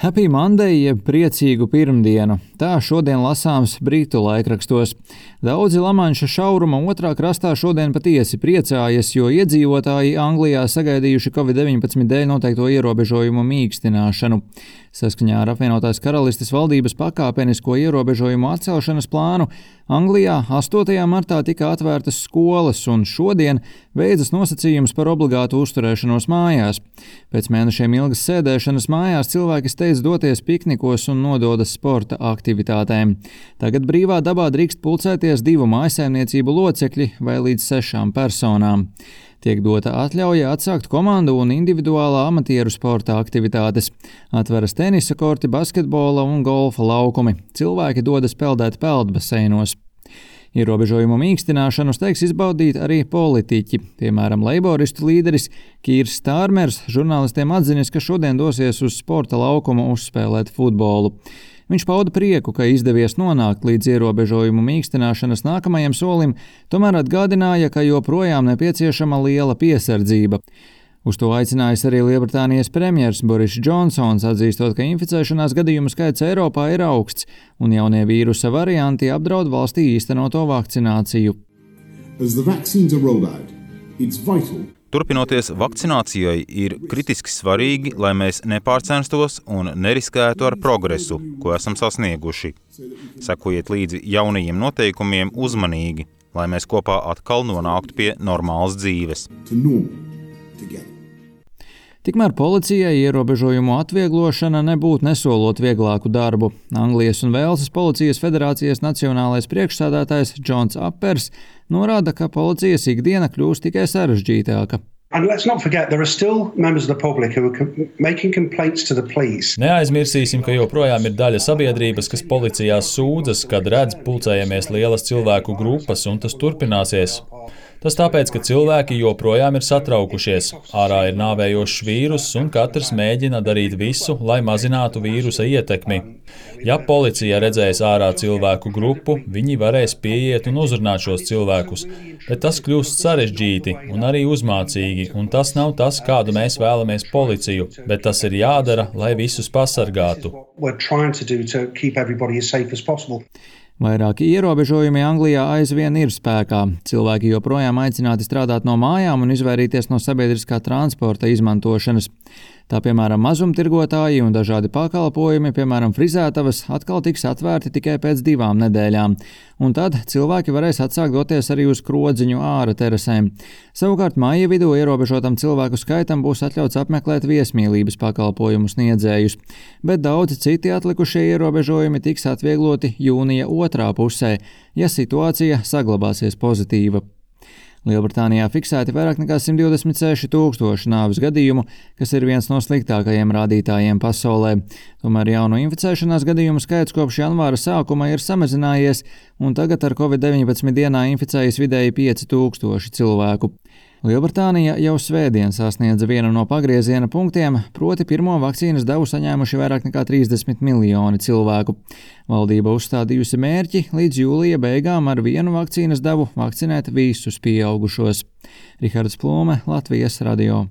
Happy Monday, jeb priecīgu pirmdienu. Tā šodien lasāms Britu laikrakstos. Daudzi Lamanša šauruma otrā krastā šodien patiesi priecājas, jo iedzīvotāji Anglijā sagaidījuši Covid-19 dēļ noteikto ierobežojumu mīkstināšanu. Saskaņā ar apvienotās karalistes valdības pakāpenisko ierobežojumu atcelšanas plānu Anglijā 8. martā tika atvērtas skolas un šodien beidzas nosacījums par obligātu uzturēšanos mājās. Pēc mēnešiem ilgas sēdēšanas mājās cilvēki steidz doties piknikos un nododas sporta aktivitātēm. Tagad brīvā dabā drīkst pulcēties 2 mājsaimniecību locekļi vai līdz 6 personām. Tiek dota atļauja atsākt komandu un individuālā amatieru sporta aktivitātes. Atveras tenisa korti, basketbola un golfa laukumi. Cilvēki dodas peldēt peldbaseinos. Ierobežojumu mīkstināšanu steigs izbaudīt arī politiķi. Piemēram, leiboristu līderis Kīrs Stārmers žurnālistiem atzinis, ka šodien dosies uz sporta laukumu uzspēlēt futbolu. Viņš pauda prieku, ka izdevies nonākt līdz ierobežojumu mīkstināšanas nākamajam solim, tomēr atgādināja, ka joprojām nepieciešama liela piesardzība. Uz to aicinājis arī Lielbritānijas premjers Boris Džonsons, atzīstot, ka inficēšanās gadījumu skaits Eiropā ir augsts un jaunie vīrusa varianti apdraud valstī īstenoto vakcināciju. Turpinoties vakcinācijai, ir kritiski svarīgi, lai mēs nepārcenstos un neriskētu ar progresu, ko esam sasnieguši. Sekojiet līdzi jaunajiem noteikumiem uzmanīgi, lai mēs kopā atkal nonāktu pie normālas dzīves. Tikmēr policijai ierobežojumu atvieglošana nebūtu nesolot vieglāku darbu. Anglijas un Velsas policijas federācijas nacionālais priekšsēdētājs Džons Appers norāda, ka policijas ikdiena kļūst tikai sarežģītāka. Neaizmirsīsim, ka joprojām ir daļa sabiedrības, kas policijā sūdzas, kad redz pulcējamies lielas cilvēku grupas, un tas turpināsies. Tas tāpēc, ka cilvēki joprojām ir satraukušies. Ārā ir nāvējošs vīruss, un katrs mēģina darīt visu, lai mazinātu vīrusa ietekmi. Ja policija redzēs ārā cilvēku grupu, viņi varēs pieiet un uzrunāt šos cilvēkus, bet tas kļūst sarežģīti un arī uzmācīgi, un tas nav tas, kādu mēs vēlamies policiju, bet tas ir jādara, lai visus pasargātu. Vairāki ierobežojumi Anglijā aizvien ir spēkā. Cilvēki joprojām aicināti strādāt no mājām un izvairīties no sabiedriskā transporta izmantošanas. Tā piemēram mazumtirgotāji un dažādi pakalpojumi, piemēram frizētavas, atkal tiks atvērti tikai pēc 2 nedēļām. Un tad cilvēki varēs atsākt doties arī uz krodziņu āra terasēm. Savukārt māja vidū ierobežotam cilvēku skaitam būs atļauts apmeklēt viesmīlības pakalpojumu sniedzējus. Bet daudzi citi atlikušie ierobežojumi tiks atviegloti jūnija otrā pusē, ja situācija saglabāsies pozitīva. Lielbritānijā fiksēti vairāk nekā 126 000 nāves gadījumu, kas ir viens no sliktākajiem rādītājiem pasaulē. Tomēr jaunu inficēšanās gadījumu skaits kopš janvāra sākuma ir samazinājies, un tagad ar Covid-19 dienā inficējas vidēji 5000 cilvēku. Lielbritānija jau svētdien sasniedza vienu no pagrieziena punktiem, proti pirmo vakcīnas devu saņēmuši vairāk nekā 30 miljoni cilvēku. Valdība uzstādījusi mērķi līdz jūlija beigām ar vienu vakcīnas devu vakcinēt visus pieaugušos. Rihards Plūme, Latvijas radio.